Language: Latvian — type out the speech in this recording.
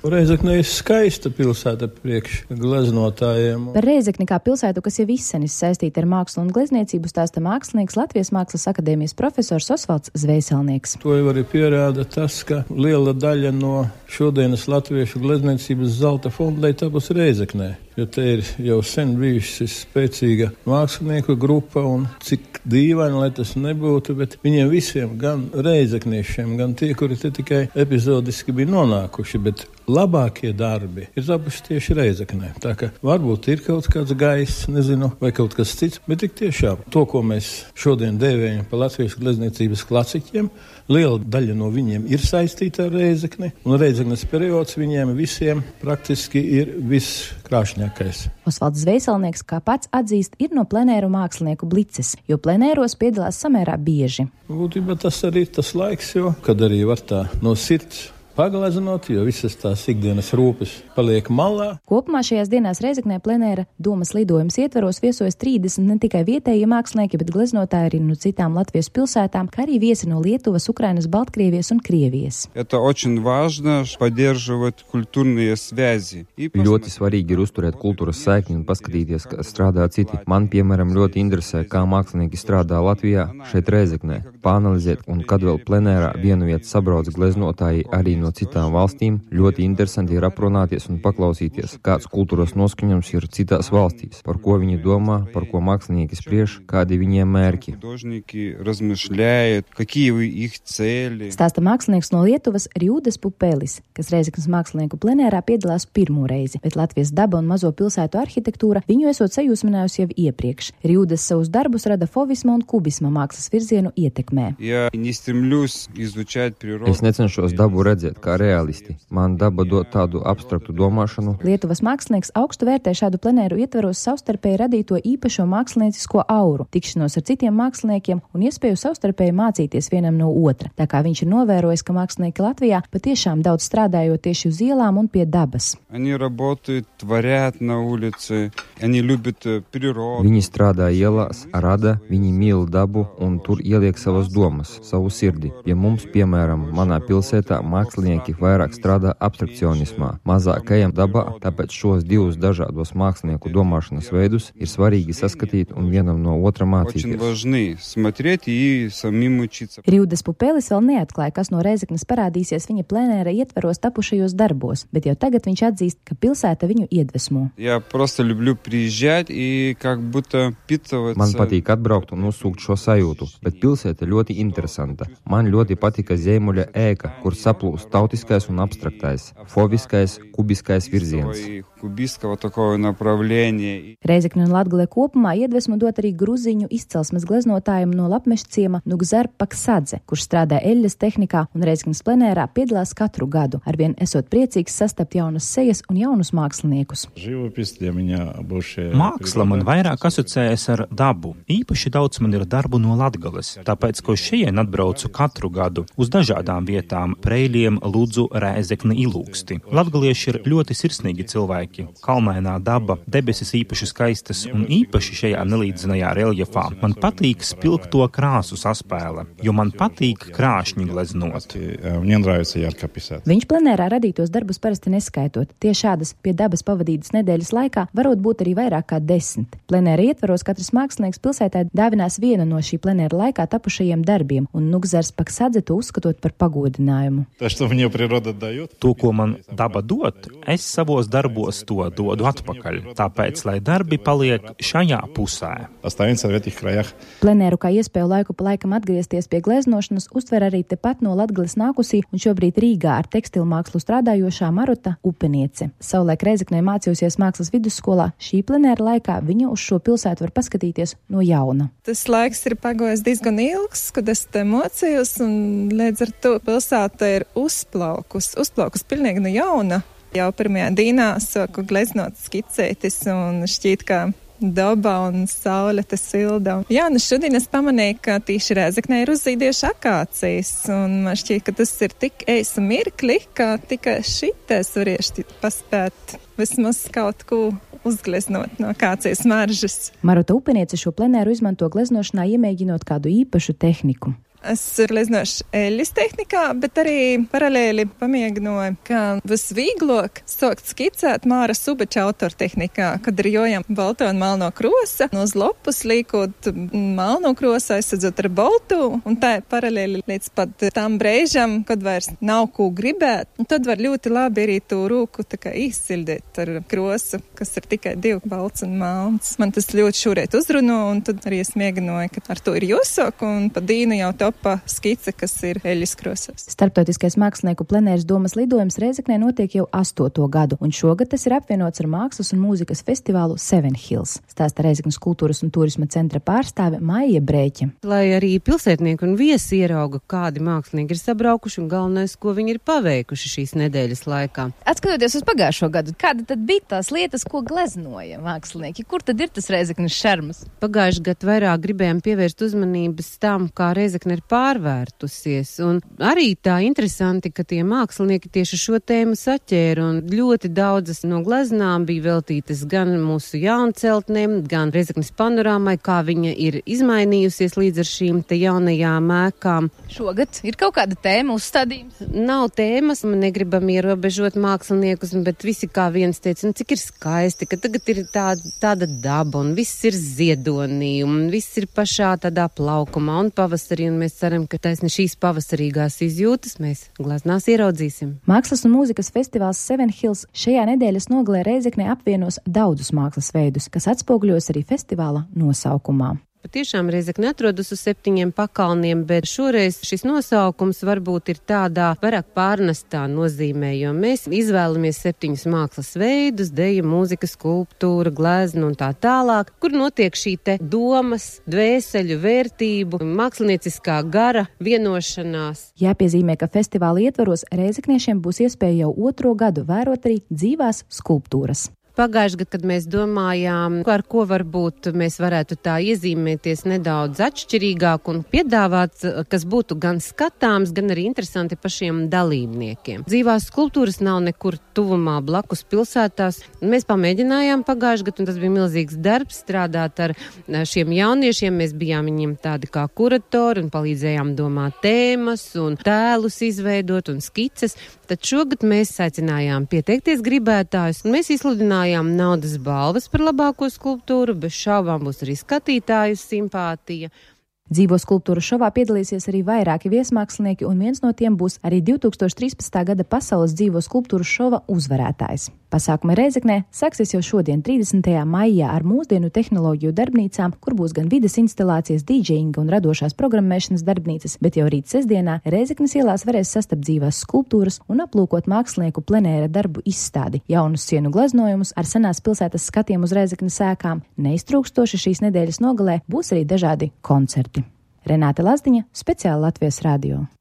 Reizekne ir skaista pilsēta priekš gleznotājiem. Par Reizekni kā pilsētu, kas jau izsenis saistīta ar mākslu un glezniecību, stāsta mākslinieks Latvijas Mākslas akadēmijas profesors Osvalds Zvejselnieks. To jau arī pierāda tas, ka liela daļa no šodienas latviešu glezniecības zelta fonda ir tapusi Reizeknē. Jo te ir jau sen bijusi spēcīga mākslinieku grupa, un cik dīvaini, lai tas nebūtu, bet viņiem visiem, gan reizekniešiem, gan tie, kuri te tikai epizodiski bija nonākuši, bet labākie darbi ir tapuši tieši Reizeknē. Tā ka varbūt ir kaut kāds gaiss, nezinu, vai kaut kas cits, bet tik tiešām to, ko mēs šodien dēvējam par latviešu glezniecības klasiķiem, liela daļa no viņiem ir saistīta ar Reizekni, un Reizeknes periods viņiem visiem praktiski ir viskrāšņākais. Osvalds Zvejselnieks, kā pats atzīst, ir no plenēru mākslinieku blices, jo plenēros piedalās samērā bieži. Būtībā tas arī ir tas laiks, kad arī var tā no sirds pagleznot, jo visas tās ikdienas rūpes paliek malā. Kopumā šajās dienās Reizeknē plenēra domas lidojums ietveros viesojas 30 ne tikai vietējie mākslinieki, bet gleznotāji arī no citām Latvijas pilsētām, kā arī viesi no Lietuvas, Ukrainas, Baltkrievijas un Krievijas. Ļoti svarīgi ir uzturēt kultūras saikni un paskatīties, kā strādā citi. Man, piemēram, ļoti interesē, kā mākslinieki strādā Latvijā, šeit Reizeknē, pāanalizēt, un kad vēl plenērā vienu vietu sabrauc gleznotāji arī no citām valstīm, ļoti interesanti ir aprunāties un paklausīties, kāds kultūras noskaņojums ir citās valstīs, par ko viņi domā, par ko mākslinieki spriež, kādi viņiem mērķi. Stāsta mākslinieks no Lietuvas Rjūdas Pupelis, kas Reizeknes mākslinieku plenērā piedalās pirmo reizi, bet Latvijas daba un mazo pilsētu arhitektūra viņu esot sajūsminājusi jau iepriekš. Rjūdas savus darbus rada fovisma un kubisma mākslas virzienu ietekmē. Es necenšos dabu redzēt kā realisti. Man daba dod tādu abstraktu domāšanu. Lietuvas mākslinieks augstu vērtē šādu plenēru ietveros savstarpēji radīto īpašo māksliniecisko auru, tikšanos ar citiem māksliniekiem un iespēju savstarpēji mācīties vienam no otra. Tā kā viņš ir novērojis, ka mākslinieki Latvijā patiešām daudz strādājot tieši uz ielām un pie dabas. Viņi strādā ielās, rada, viņi mīl dabu un tur ieliek savas domas, savu sirdi. Pie mums, piemēram, manā pilsētā mākslinieki vairāk strādā abstrakcionismā, mazāk ejam dabā, tāpēc šos divus dažādos mākslinieku domāšanas veidus ir svarīgi saskatīt un vienam no otra mācīties. Rjūdas Pupelis vēl neatklāja, kas no Reizeknes parādīsies viņa plenēra ietveros tapušajos darbos, bet jau tagad viņš atzīst, ka pilsēta viņu iedvesmo. Man patīk atbraukt un uzsūkt šo sajūtu, bet pilsēta ļoti interesanta. Man ļoti patika Ziemuļa ēka, kur saplūst tautiskais un abstraktais, foviskais, kubiskais virziens. Reizekne un Latgale kopumā iedvesmu dot arī gruziņu izcelsmes gleznotājiem no Lapmešciema Nugzar Paksadze, kurš strādā eļļas tehnikā un Reizeknes plenērā piedalās katru gadu, arvien esot priecīgs sastapt jaunas sejas un jaunus māksliniekus. Māksla man vairāk asociējas ar dabu. Īpaši daudz man ir darbu no Latgales, tāpēc, ko šeit atbraucu katru gadu uz dažādām vietām - Preiļiem, Ludzu, Reizekne, Ilūksti. Latgalieši ir ļoti sirsnīgi cilvēki. Kalnainā daba, debesis īpaši skaistas un īpaši šajā nelīdzinajā reljefā. Man patīk spilgto krāsu saspēle, jo man patīk krāšņi gleznot. Viņš plenērā radītos darbus parasti neskaitot. Tie šādas pie dabas pavadītas nedēļas laikā varot būt arī vairāk kā 10. Plenēra ietvaros katrs mākslinieks pilsētā dāvinās vienu no šī plenēra laikā tapušajiem darbiem, un Nugzars Paksadze to uzskatot par pagodinājumu. To, ko man daba dod, es savos darbos to dodu atpakaļ. Tāpēc, lai darbi paliek šajā pusē. Plenēru kā iespēju laiku pa laikam atgriezties pie gleznošanas uztver arī tepat no Latgales nākusī un šobrīd Rīgā ar tekstilmākslu strādājošā Maruta Upeniece. Savulaik Reizeknē mācījusies mākslas vidusskolā, šī plenēra laikā viņa uz šo pilsētu var paskatīties no jauna. Tas laiks ir pagojis diezgan ilgs, kad es te mocījos, un līdz ar to pilsēta ir uzplaukus pilnīgi no jauna. Jau pirmajā dīnā sāku gleznot skicētis un šķiet, ka daba un saule te silda. Jā, šodien es pamanīju, ka tīši Reizeknē ir uzzīdieši akācijas, un man šķiet, ka tas ir tik eisu mirkli, ka tikai šitais varieši paspēt vismaz kaut ko uzgleznot no akācijas maržas. Maruta Upeniece šo plenēru izmanto gleznošanā, iemēģinot kādu īpašu tehniku. Es gleznošu eļļas tehnikā, bet arī paralēli pamēģināju, ka visvieglāk sākt skicēt Māra Subača autortehnikā, kad ir jojam balto un melno krosa, no uz lopus līkot melno krosu, aizsadzot ar baltu, un tā paralēli līdz pat tam brēžam, kad vairs nav ko gribēt, un tad var ļoti labi arī to rūku tā kā izsildīt ar krosu, kas ir tikai 2 balts un melns. Man tas ļoti šūrēt uzruno, un tad arī es mēģināju, ka ar to ir jāsāk, un pa dīnu jau topa skice, kas ir eļļas krosas. Starptautiskais mākslinieku plenēras domas lidojums Rēzeknē notiek jau 8. gadu, un šogad tas ir apvienots ar mākslas un mūzikas festivālu Seven Hills, stāsta Rēzeknes kultūras un turisma centra pārstāve Maija Brēķe. Lai arī pilsētnieki un viesi ierauga, kādi mākslinieki ir sabraukuši un galvenais, ko viņi ir paveikuši šīs nedēļas laikā. Atskatoties uz pagājušo gadu, kāda tad bija tās lietas, ko gleznoja mākslinieki? Kur tad ir tas Rēzeknes šarms? Pagājuši gadu vairāk gribējām pievērst uzmanības tam, kā Rēzekne ir pārvērtusies, un arī tā interesanti, ka tie mākslinieki tieši šo tēmu saķēra, un ļoti daudzas no gleznām bija veltītas gan mūsu jaunceltnēm, gan Rēzeknes panorāmai, kā viņa ir izmainījusies līdz ar šīm te jaunajām ēkām. Šogad ir kaut kāda tēma uzstādījums? Nav tēmas, man negribam ierobežot māksliniekus, bet visi kā viens teica, cik ir skaisti, ka tagad ir tāda daba, un viss ir ziedonī, un viss ir pašā tādā plaukumā, un pavasarī, un mēs ceram, ka taisni šīs pavasarīgās izjūtas mēs gleznās ieraudzīsim. Mākslas un mūzikas festivāls Seven Hills šajā nedēļas nogalē Rēzeknē apvienos daudzus mākslas veidus, kas atspoguļos arī festivāla nosaukumā. Patiešām Rēzekne atrodas uz 7 pakalniem, bet šoreiz šis nosaukums varbūt ir tādā vairāk pārnestā nozīmē, jo mēs izvēlamies 7 mākslas veidus, deja, mūzika, skulptūra, glezna un tā tālāk, kur notiek šī te domas, dvēseļu vērtību, mākslinieciskā gara vienošanās. Jāpiezīmē, ka festivāla ietvaros rēzekniešiem būs iespēja jau 2. gadu vērot arī dzīvās skulptūras. Pagājuši gadu, kad mēs domājām, ar ko varbūt mēs varētu tā iezīmēties nedaudz atšķirīgāk un piedāvāt, kas būtu gan skatāms, gan arī interesanti pašiem dalībniekiem. Dzīvās skulptūras nav nekur tuvumā blakus pilsētās. Mēs pamēģinājām pagājuši gadu, un tas bija milzīgs darbs strādāt ar šiem jauniešiem. Mēs bijām viņiem tādi kā kuratori un palīdzējām domāt tēmas un tēlus izveidot un skices. Tad šogad mēs aicinājām pieteikties gribētājus, un mēs izsludinājām naudas balvas par labāko skulptūru, bez šaubām būs arī skatītāju simpātija. Dzīvo skulptūru šovā piedalīsies arī vairāki viesmākslinieki, un viens no tiem būs arī 2013. gada pasaules dzīvo skulptūru šova uzvarētājs. Pasākumi Rēzeknē sāksies jau šodien, 30. maijā, ar mūsdienu tehnoloģiju darbnīcām, kur būs gan vides instalācijas, dīdžejinga un radošās programmēšanas darbnīcas, bet jau rīt sestdienā Rēzeknes ielās varēs sastapt dzīvās skulptūras un aplūkot mākslinieku plenēra darbu izstādi, jaunus sienu gleznojumus ar senās pilsētas skatiem uz Rēzeknes ēkām. Neiztrūkstoši šīs nedēļas nogalē būs arī dažādi koncerti. Renāte Lazdiņa, speciāli Latvijas radio.